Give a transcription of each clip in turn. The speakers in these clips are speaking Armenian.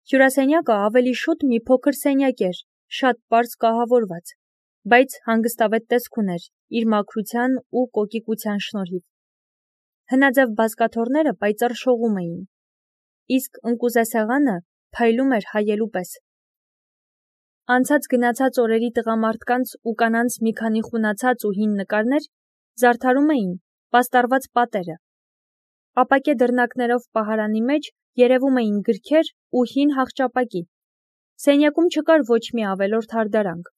Հյուրասենյակը ավելի շուտ մի փոքր սենյակ էր, շատ պարզ կահավորված, բայց հանգստավետ տեսք ուներ իր մաքրության ու կոկիկության շնորհիվ։ Հնաձև բազկաթոռները պայծառ շողում էին, իսկ ընկուզեսեղանը փայլում էր հայելու պես։ Անցած գնացած օրերի տղամարդկանց ու կանանց մի քանի խունացած ու հին նկարներ զարդարում էին պաստառված պատերը։ Ապակե դռնակներով պահարանի մեջ երևում էին գրքեր ու հին հախճապակի։ Սենյակում չկար ոչ մի ավելորդ հարդարանք,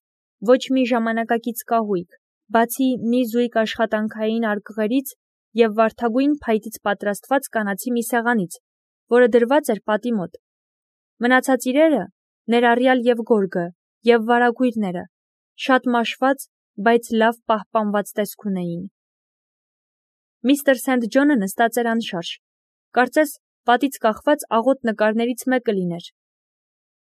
ոչ մի ժամանակակից կահույք, բացի մի զույգ աշխատանքային արկղերից և վարդագույն փայտից պատրաստված կանացի մի սեղանից, որը դրված էր պատի մոտ։ Մնացած իրերը, ներառյալ և գորգը, և վարագույրները, շատ մաշված, բայց լավ պահպանված տեսք ունեին։ Միսթր Սենթ Ջոնը նստած էր անշարժ, կարծես պատից կախված աղոտ նկարներից մեկը լիներ։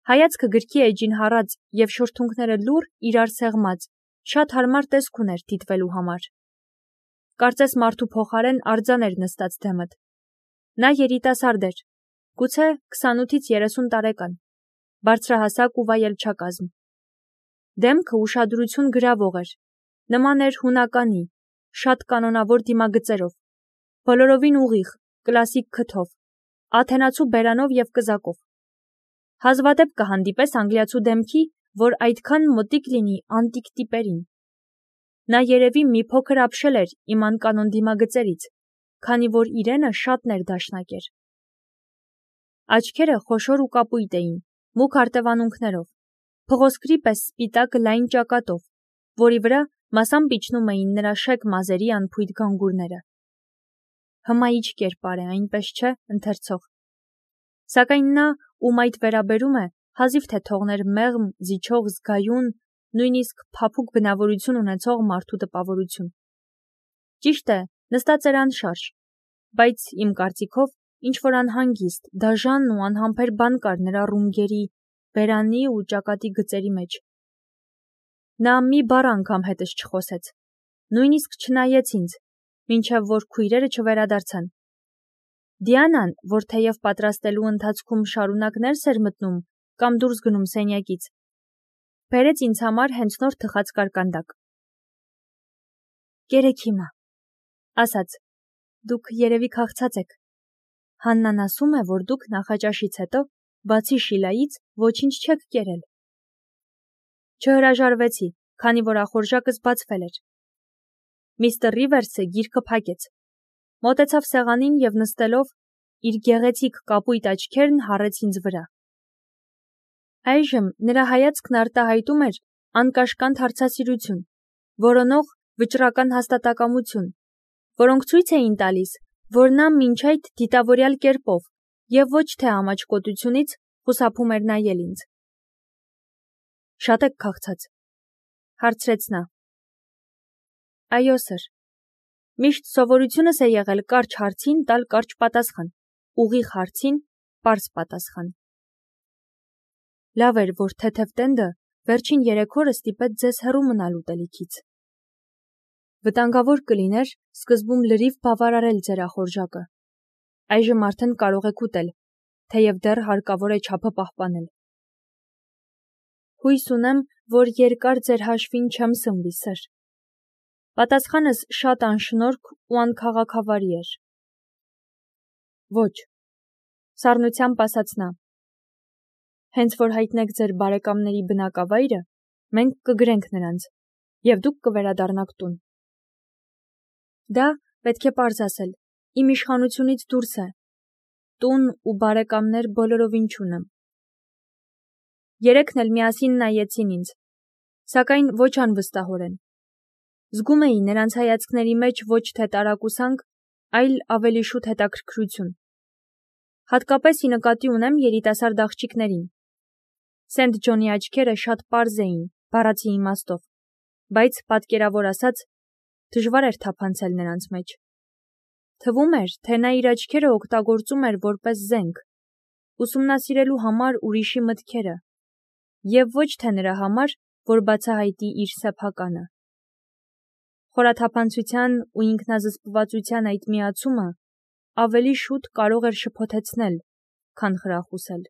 Հայացքը գրքի էջին հառած և շուրթունքները լուռ իրար սեղմած, շատ հարմար տեսք ուներ դիտվելու համար։ Կարծես մարդու փոխարեն արձան էր նստած դեմդ։ Նա երիտասարդ էր, գուցե 28-ից 30 տարեկան, բարձրահասակ ու վայելչակազմ։ Դեմքը ուշադրություն գրավող էր, նման էր հունականի, շատ կանոնավոր դիմագծերով, բոլորովին ուղիղ, կլասիկ քթով, աթենացու բերանով և կզակով։ Հազվադեպ կհանդիպես անգլիացու դեմքի, որ այդքան մոտիկ լինի անտիկ տիպերին։ Նա երևի մի փոքր ապշել էր իմ անկանոն դիմագծերից, քանի որ իրենը շատ ներդաշնակ էր։ Աչքերը խոշոր ու կապույտ էին, մուգ արտևանունքներով, փղոսկրի պես սպիտակ լայն ճակատով, որի վրա մասամբ իջնում էին նրա շեկ մազերի անփույթ գանգուրները։ Հմայիչ կերպար է, այնպես չէ, ընթերցող։ Սակայն նա, ում այդ վերաբերում է, հազիվ թե թողներ մեղմ, զիջող, զգայուն, նույնիսկ փափուկ բնավորություն ունեցող մարդու տպավորություն։ Ճիշտ է, նստած էր անշարժ, բայց իմ կարծիքով ինչ-որ անհանգիստ, դաժան ու անհամբեր բան կար նրա ռունգերի, բերանի ու ճակատի գծերի մեջ։ Նա մի բառ անգամ հետս չխոսեց, նույնիսկ չնայեց ինձ, մինչև որ քույրերը չվերադարձան։ Դիանան, որ թեև պատրաստելու ընթացքում շարունակ ներս էր մտնում կամ դուրս գնում սենյակից, բերեց ինձ համար հենց նոր թխած կարկանդակ։ «Կերեք հիմա», ասաց, «դուք երևի քաղցած եք։ Հաննան ասում է, որ դուք նախաճաշից հետո, բացի Շիլայից, ոչինչ չեք կերել»։ Չհրաժարվեցի, քանի որ ախորժակս բացվել էր։ Միսթր Ռիվերսը գիրքը փակեց, մոտեցավ սեղանին և նստելով, իր գեղեցիկ կապույտ աչքերն հառեց ինձ վրա։ Այժմ նրա հայացքն արտահայտում էր անկաշկանդ հարցասիրություն, որոնող վճռական հաստատակամություն, որոնք ցույց էին տալիս, որ նա մինչ այդ դիտավորյալ կերպով և ոչ թե ամաչկոտությունից խուսափում էր նայել ինձ։ «Շատ եք քաղցած», հարցրեց նա։ «Այո, սըր։ Միշտ սովորությունս է եղել կարճ հարցին տալ կարճ պատասխան, ուղիղ հարցին պարզ պատասխան»։ Լավ էր, որ թեթև տենդը վերջին 3 օրը ստիպեց ձեզ հեռու մնալ ուտելիքից։ Վտանգավոր կլիներ սկզբում լրիվ բավարարել ձեր ախորժակը։ Այժմ արդեն կարող եք ուտել, թեև դեռ հարկավոր է չափը պահպանել։ Հույս ունեմ, որ երկար ձեր հաշվին չեմ սնվի, սըր։ Պատասխանս շատ անշնորհք ու անքաղաքավարի էր։ Ոչ, սառնությամբ ասաց նա։ Հենց որ հայտնեք ձեր բարեկամների բնակավայրը, մենք կգրենք նրանց, և դուք կվերադառնաք տուն։ Դա, պետք է պարզ ասել, իմ իշխանությունից դուրս է։ Տուն ու բարեկամներ բոլորովին չունեմ։ Երեքն էլ միասին նայեցին ինձ, սակայն ոչ անվստահորեն։ Զգում էի նրանց հայացքների մեջ ոչ թե տարակուսանք, այլ ավելի շուտ հետաքրքրություն։ Հատկապես ի նկատի ունեմ երիտասարդ աղջիկներին։ Սենթ Ջոնի աչքերը շատ պարզ էին, բառացի իմաստով, բայց, պատկերավոր ասած, դժվար էր թափանցել նրանց մեջ։ Թվում էր, թե նա իր աչքերը օգտագործում էր որպես զենք, ուսումնասիրելու համար ուրիշի մտքերը, և ոչ թե նրա համար, որ բացահայտի իր սեփականը։ Խորաթափանցության ու ինքնազսպվածության այդ միացումը ավելի շուտ կարող էր շփոթեցնել, քան խրախուսել։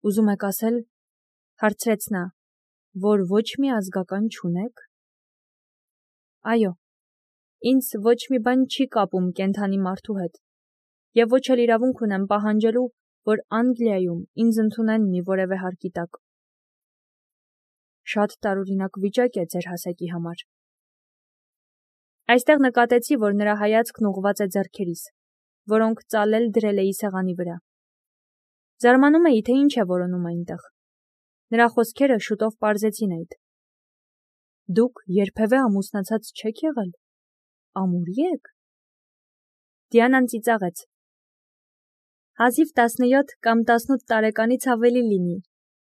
Ուզում եք ասել, հարցրեց նա, որ ոչ մի ազգական չունեք։ Այո, ինձ ոչ մի բան չի կապում կենդանի մարդու հետ, եւ ոչ էլ իրավունք ունեմ պահանջելու, որ Անգլիայում ինձ ընդունեն մի որևէ հարկի տակ։ Շատ տարօրինակ վիճակ է ձեր հասակի համար։ Այստեղ նկատեցի, որ նրա հայացքն ուղղված է ձեռքերիս, որոնք ծալել դրել էի սեղանի վրա։ Զարմանում էի, թե ինչ է որոնում այնտեղ։ Նրա խոսքերը շուտով պարզեցին այդ։ Դուք երբևէ ամուսնացած չեք եղել։ Ամուրի եք։ Դիանան ծիծաղեց։ Հազիվ 17 կամ 18 տարեկանից ավելի լինի,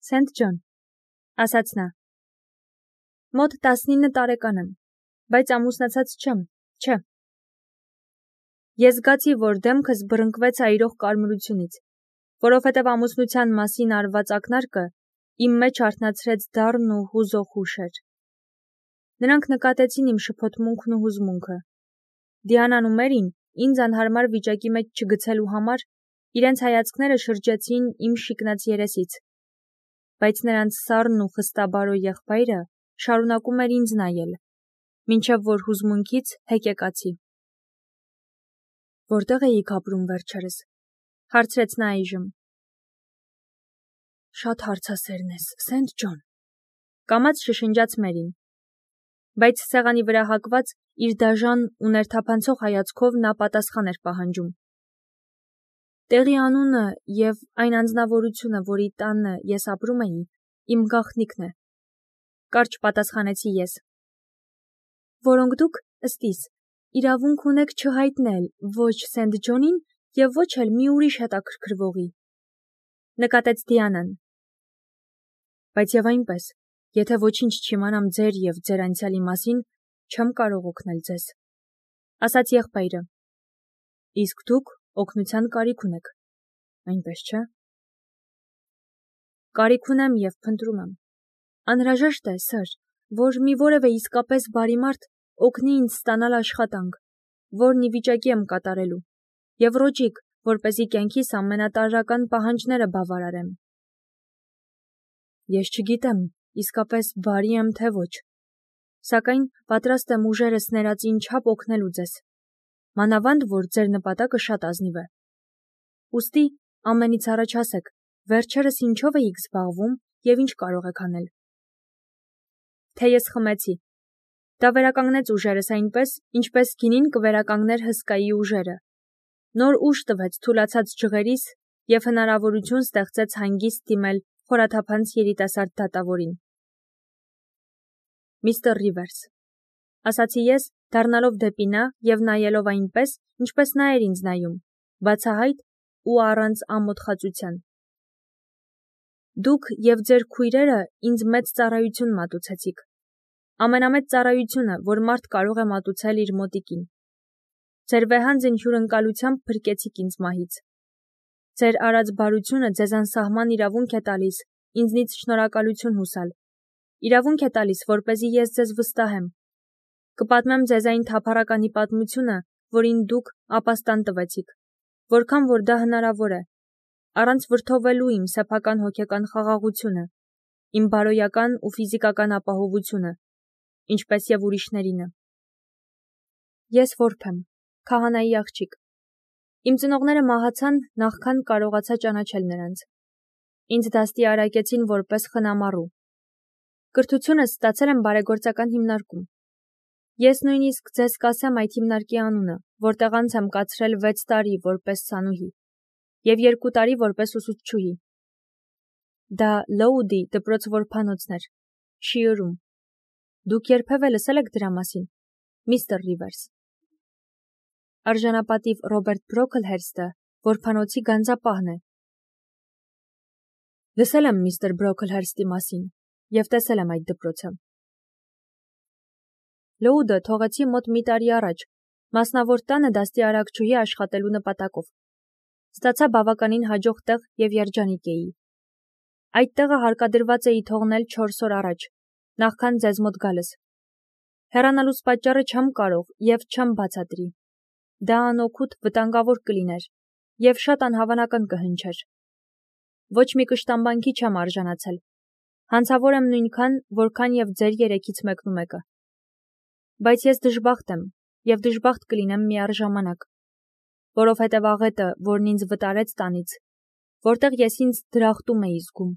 Սենթ Ջոն, ասաց նա։ Մոտ 19 տարեկան եմ, բայց ամուսնացած չեմ, չէ։ Ես զգացի, որ դեմքս բռնկվեց այրող կարմրությունից, որովհետև ամուսնության մասին արված ակնարկը իմ մեջ արթնացրեց դառն ու հուզող հուշեր։ Նրանք նկատեցին իմ շփոթմունքն ու հուզմունքը։ Դիանան ու Մերին ինձ անհարմար վիճակի մեջ չգցելու համար իրենց հայացքները շրջեցին իմ շիկնած երեսից, բայց նրանց սառն ու խստաբարո եղբայրը շարունակում էր ինձ նայել, մինչև որ հուզմունքից հեկեկացի։ Որտեղ էիք ապրում վերջերս, հարցրեց նա այժմ։ Շատ հարցասերն ես, Սենթ Ջոն, կամաց շշնջաց Մերին, բայց սեղանի վրա հակված իր դաժան ու ներթափանցող հայացքով նա պատասխան էր պահանջում։ Տեղի անունը եւ այն անձնավորությունը, որի տանը ես ապրում էի, իմ գաղտնիքն է, կարճ պատասխանեցի ես։ Որոնք դուք, ըստ իս, իրավունք ունեք չհայտնել ոչ Սենթ Ջոնին եւ ոչ էլ մի ուրիշ հետաքրքրվողի, նկատեց Դիանան։ Բայց եւ այնպես, եթե ոչինչ չիմանամ ձեր եւ ձեր անցյալի մասին, չեմ կարող օգնել ձեզ, ասաց եղբայրը։ Իսկ դուք օգնության կարիք ունեք, այնպես չէ։ Կարիք ունեմ եւ փնտրում եմ։ Անհրաժեշտ է, սըր, որ մի որևէ իսկապես բարի մարդ օգնի ինձ ստանալ աշխատանք, որն ի վիճակի եմ կատարելու, եւ ռոճիկ, որպեսզի կյանքիս ամենատարրական պահանջները բավարարեմ։ Ես չգիտեմ, իսկապես բարի եմ թե ոչ, սակայն պատրաստ եմ ուժերս ներածին չափ օգնելու ձեզ, մանավանդ, որ ձեր նպատակը շատ ազնիվ է։ Ուստի ամենից առաջ ասեք, վերջերս ինչով էիք զբաղվում եւ ինչ կարող եք անել։ Թե ես խմեցի։ Դա վերականգնեց ուժերս այնպես, ինչպես գինին կվերականգներ հսկայի ուժերը։ Նոր ուժ տվեց թուլացած ջղերիս եւ հնարավորություն ստեղծեց հանգիստ դիմել խորաթափանց երիտասարդ դատավորին։ Միստր Ռիվերս, ասացի ես, դառնալով դեպի նա եւ նայելով այնպես, ինչպես նա էր ինձ նայում, բացահայտ ու առանց ամոթխածության։ Դուք եւ ձեր քույրերը ինձ մեծ ծառայություն մատուցեցիք։ Ամենամեծ ծառայությունը, որ մարդ կարող է մատուցել իր մոտիկին։ Ձեր վեհանձն հյուրընկալությամբ փրկեցիք ինձ մահից։ Ձեր արած բարությունը ձեզ անսահման իրավունք է տալիս ինձնից շնորհակալություն հուսալ։ Իրավունք է տալիս, որպեսզի ես ձեզ վստահեմ։ Կպատմեմ ձեզ այն թափառականի պատմությունը, որին դուք ապաստան տվեցիք, որքան որ դա հնարավոր է, առանց վրդովելու իմ սեփական հոգեկան խաղաղությունը, իմ բարոյական ու ֆիզիկական ապահովությունը, ինչպես եւ ուրիշներինը։ Ես որբ եմ, քահանայի աղջիկ։ Իմ ծնողները մահացան նախքան կարողացա ճանաչել նրանց։ Ինձ դաստի արակեցին որպես խնամառու։ Կրթությունս ստացել եմ բարեգործական հիմնարկում։ Ես նույնիսկ ձեզ կասեմ այդ հիմնարկի անունը, որտեղ անց եմ կացրել 6 տարի որպես սանուհի եւ 2 տարի որպես ուսուցչուհի։ Դա Լոուդի դպրոց-որբանոցն էր, Շիորում։ Դուք երբևէ լսել եք դրա մասին, միստր Ռիվերս։ Արժանապատիվ Ռոբերտ Բրոքլհերստը որբանոցի գանձապահն է։ Լսել եմ միստր Բրոքլհերստի մասին եւ տեսել եմ այդ դպրոցը։ Լոուդը թողեցի մոտ մի տարի առաջ, մասնավոր տանը դաստի արակչուհի աշխատելու նպատակով։ Ստացա բավականին հաջող տեղ եւ երջանիկ էի։ Այդ տեղը հարկադրված էի թողնել 4 օր առաջ, նախքան ձեզ մոտ գալս։ Հեռանալուց պատճառը չեմ կարող եւ չեմ բացատրի։ Դա անօգուտ վտանգավոր կլիներ եւ շատ անհավանական կհնչեր։ ոչ մի կշտամբանքի չեմ արժանացել։ Հանցավոր եմ նույնքան, որքան եւ ձեր երեքից մեկնումեկը։ Բայց ես դժբախտ եմ եւ դժբախտ կլինեմ միառժամանակ, որովհետեւ աղետը, որն ինձ վտարեց տանից, որտեղ ես ինձ դրախտում էի զգում,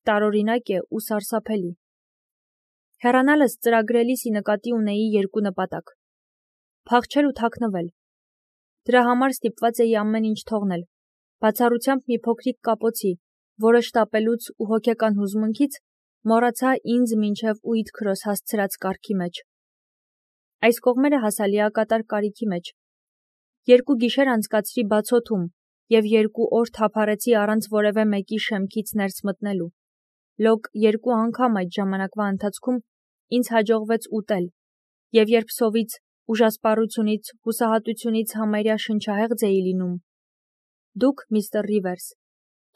տարօրինակ է ու սարսափելի։ Հեռանալս ծրագրելիսի նկատի ունեի երկու նպատակ. փախչել ու թաքնվել։ Դրա համար ստիպված էի ամեն ինչ թողնել, բացառությամբ մի փոքրիկ կապոցի, որը շտապելուց ու հոգեկան հուզմունքից մոռացա ինձ մինչև ույդ քրոս հասցրած կարգի մեջ։ Այս կողմերը հասալիակատար կարիքի մեջ։ 2 գիշեր անցկացրի բացոթում եւ 2 օր թափառեցի առանց որևէ մեկի շեմքից ներս մտնելու։ Լոկ 2 անգամ այդ ժամանակվա ընթացքում ինձ հաջողվեց ուտել, եւ երբ սովից, ուժասպառությունից, հուսահատությունից համարյա շնչահեղձ էի լինում, դուք, միստր Ռիվերս,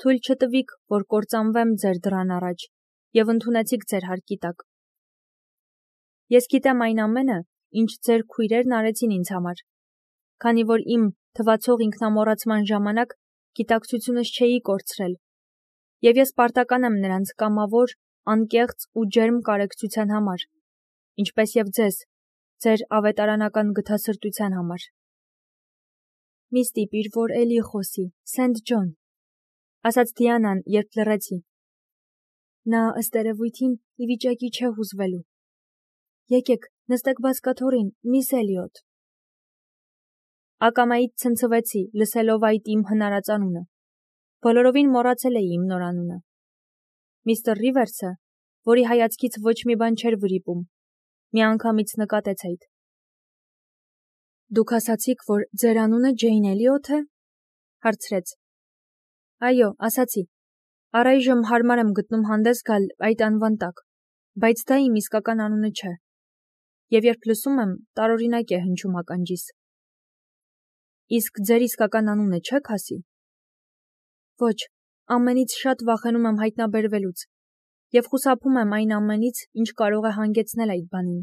թույլ չտվիք, որ կործանվեմ ձեր դռան առաջ, եւ ընդունեցիք ձեր հարկի տակ։ Ես գիտեմ այն ամենը, ինչ ձեր քույրերն արեցին ինձ համար, քանի որ իմ թվացող ինքնամոռացման ժամանակ գիտակցությունս չէի կորցրել, եւ ես պարտական եմ նրանց կամավոր, անկեղծ ու ջերմ կարեկցության համար, ինչպես եւ ձեզ, ձեր ավետարանական գթասրտության համար։ Մի ստիպիր, որ էլի խոսի, Սենթ Ջոն, ասաց Դիանան, երբ լռեցի։ Նա ըստ երևույթին ի վիճակի չէ հուզվելու։ Եկեք, նստեք բազկաթոռին, միս Էլիոտ։ Ակամայից ցնցվեցի, լսելով այդ իմ հնարած անունը։ Բոլորովին մոռացել էի իմ նոր անունը։ Միստր Ռիվերսը, որի հայացքից ոչ մի բան չէր վրիպում, միանգամից նկատեց այդ։ Դուք ասացիք, որ ձեր անունը Ջեյն Էլիոթ է, հարցրեց։ Այո, ասացի։ Առայժմ հարմար եմ գտնում հանդես գալ այդ անվան տակ, բայց դա իմ իսկական անունը չէ։ Եվ երբ լսում եմ, տարօրինակ է հնչում ականջիս։ Իսկ ձեր իսկական անունը չեք ասի։ Ոչ, ամենից շատ վախենում եմ հայտնաբերվելուց եւ խուսափում եմ այն ամենից, ինչ կարող է հանգեցնել այդ բանին։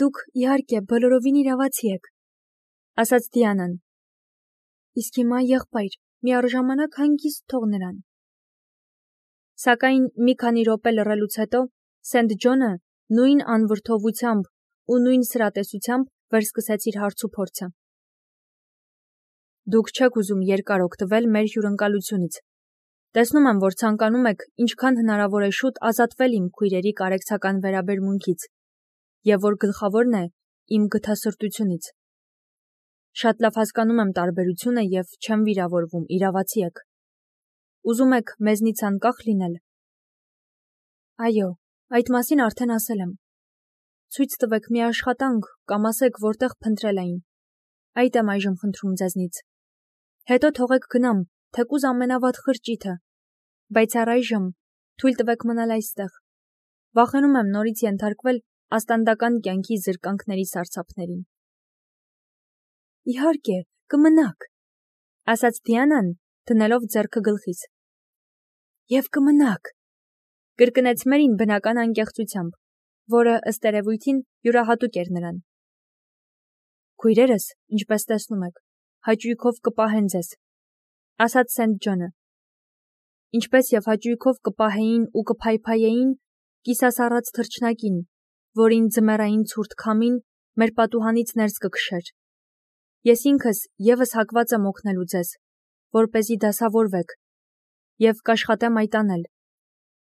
Դուք, իհարկե, բոլորովին իրավացի եք, ասաց Դիանան։ Իսկ հիմա, եղբայր, միառժամանակ հանգիստ թող նրան։ Սակայն մի քանի րոպե լռելուց հետո Սենթ Ջոնը նույն անվրդովությամբ ու նույն սրատեսությամբ վերսկսեց իր հարցուփորձը։ Դուք չեք ուզում երկար օգտվել մեր հյուրընկալությունից։ Տեսնում եմ, որ ցանկանում եք ինչքան հնարավոր է շուտ ազատվել իմ քույրերի կարեկցական վերաբերմունքից, եւ որ գլխավորն է իմ գթասրտությունից։ Շատ լավ հասկանում եմ տարբերությունը եւ չեմ վիրավորվում, իրավացի եք։ Ուզում եք մեզնից անկախ լինել։ Այո, այդ մասին արդեն ասել եմ։ Ցույց տվեք մի աշխատանք կամ ասեք, որտեղ փնտրել էին։ Այդ եմ այժմ խնդրում ձեզնից։ Հետո թողեք գնամ, թեկուզ ամենավատ խրճիթը, բայց առայժմ թույլ տվեք մնալ այստեղ։ Վախենում եմ նորից ենթարկվել աստանդական կյանքի զրկանքների սարսափներին։ Իհարկե, կմնաք, ասաց Դիանան, դնելով ձեռքը գլխիս։ Եվ կմնաք, կրկնեց Մերին բնական անկեղծությամբ, որը ըստ երևույթին յուրահատուկ էր նրան։ Քույրերս, ինչպես տեսնում եք, հաճույքով կպահեն ձեզ, ասաց Սենթ Ջոնը։ Ինչպես եւ հաճույքով կպահեին ու կփայփայեին կիսասառած թռչնակին, որին ձմեռային ցուրտ քամին մեր պատուհանից ներս կքշեր։ Ես ինքս եւս հակված եմ օգնելու ձեզ, որպեսզի դասավորվեք, եւ կաշխատեմ այդ անել,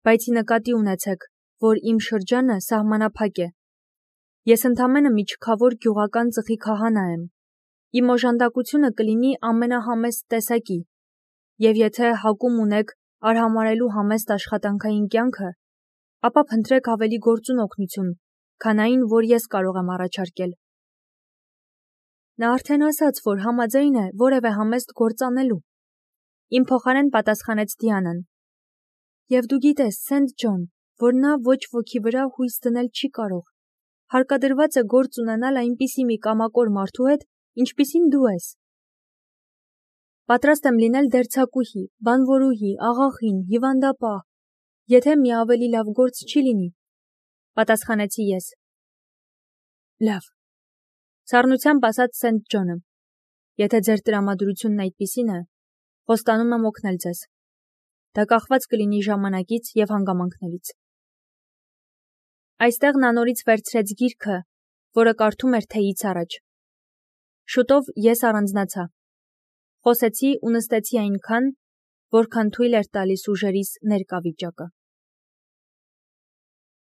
բայց նկատի ունեցեք, որ իմ շրջանը սահմանափակ է։ Ես ընդամենը մի չքավոր գյուղական ծխի քահանա եմ։ Իմ օժանդակությունը կլինի ամենահամեստ տեսակի, եւ եթե հակում ունեք արհամարելու համեստ աշխատանքային կյանքը, ապա փնտրեք ավելի գործուն օգնություն, քան այն, որ ես կարող եմ առաջարկել։ Նա արդեն ասաց, որ համաձայն է որևէ համեստ գործ անելու։ Իմ փոխարեն պատասխանեց Դիանան։ Եվ դու գիտես, Սենթ Ջոն, որ նա ոչ ոքի վրա հույս դնել չի կարող։ Հարկադրված է գործ ունենալ այնպիսի մի կամակոր մարդու հետ, ինչպիսին դու ես։ Պատրաստ եմ լինել դերձակուհի, բանվորուհի, աղախին, հիվանդապահ, եթե մի ավելի լավ գործ չի լինի, պատասխանեցի ես։ Լավ, սառնությամբ ասաց Սենթ Ջոնը, եթե ձեր տրամադրությունն այդպիսին է, Խոստանում եմ օգնել ձեզ։ Դա կախված կլինի ժամանակից և հանգամանքներից։ Այստեղ նա նորից վերցրեց գիրքը, որը կարդում էր թեյից առաջ։ Շուտով ես առանձնացա։ Խոսեցի ու նստեցի այնքան, որքան թույլ էր տալիս ուժերիս ներկա վիճակը։